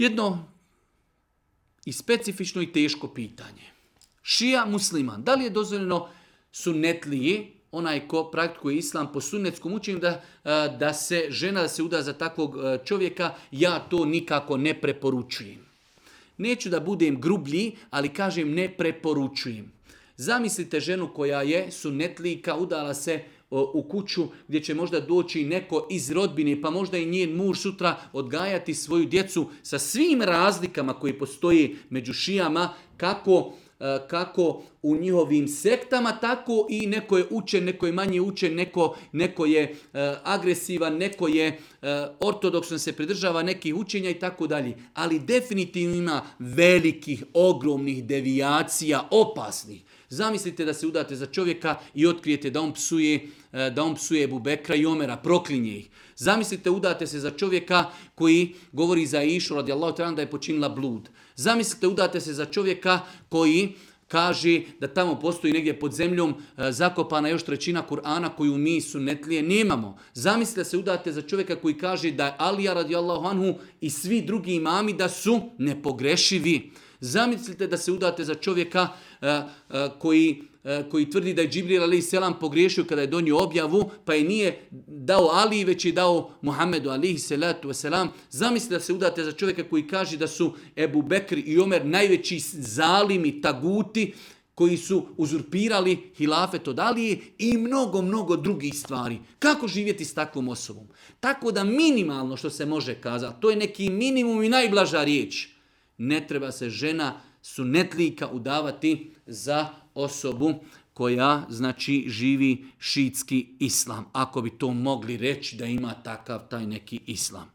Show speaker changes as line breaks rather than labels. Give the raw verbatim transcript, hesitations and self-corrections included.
Jedno i specifično i teško pitanje. Šija musliman. Da li je dozvoljeno sunnetlije, onaj ko praktikuje islam po sunnetskom učenju, da, da se žena da se uda za takvog čovjeka? Ja to nikako ne preporučujem. Neću da budem grublji, ali kažem ne preporučujem. Zamislite ženu koja je sunnetlika, udala se u kuću gdje će možda doći neko iz rodbine, pa možda i njen muž sutra odgajati svoju djecu sa svim razlikama koji postoje među šijama, kako, kako u njihovim sektama, tako i neko je učen, neko je manje učen, neko, neko je agresivan, neko je ortodoksno se pridržava nekih učenja i tako dalje. Ali definitivno ima velikih, ogromnih devijacija, opasnih. Zamislite da se udate za čovjeka i otkrijete da on psuje, da on psuje Ebu Bekra i Omera, proklinje ih. Zamislite udate se za čovjeka koji govori za Išu radijallahu ta'ala da je počinila blud. Zamislite udate se za čovjeka koji kaže da tamo postoji negdje pod zemljom zakopana još trećina Kur'ana koju mi sunnetlije nemamo. Zamislite se udate za čovjeka koji kaže da je Alija radijallahu anhu i svi drugi imami da su nepogrešivi. Zamislite da se udate za čovjeka uh, uh, koji, uh, koji tvrdi da je Džibril alejhi selam pogriješio kada je donio objavu, pa je nije dao Ali, već je dao Muhammedu alejhi salatu vesselam. Zamislite da se udate za čovjeka koji kaže da su Ebu Bekr i Omer najveći zalimi, taguti, koji su uzurpirali hilafet od Alije i mnogo, mnogo drugih stvari. Kako živjeti s takvom osobom? Tako da minimalno što se može kazati, to je neki minimum i najblaža riječ. Ne treba se žena sunnetlika udavati za osobu koja, znači, živi šiitski islam. Ako bi to mogli reći da ima takav taj neki islam.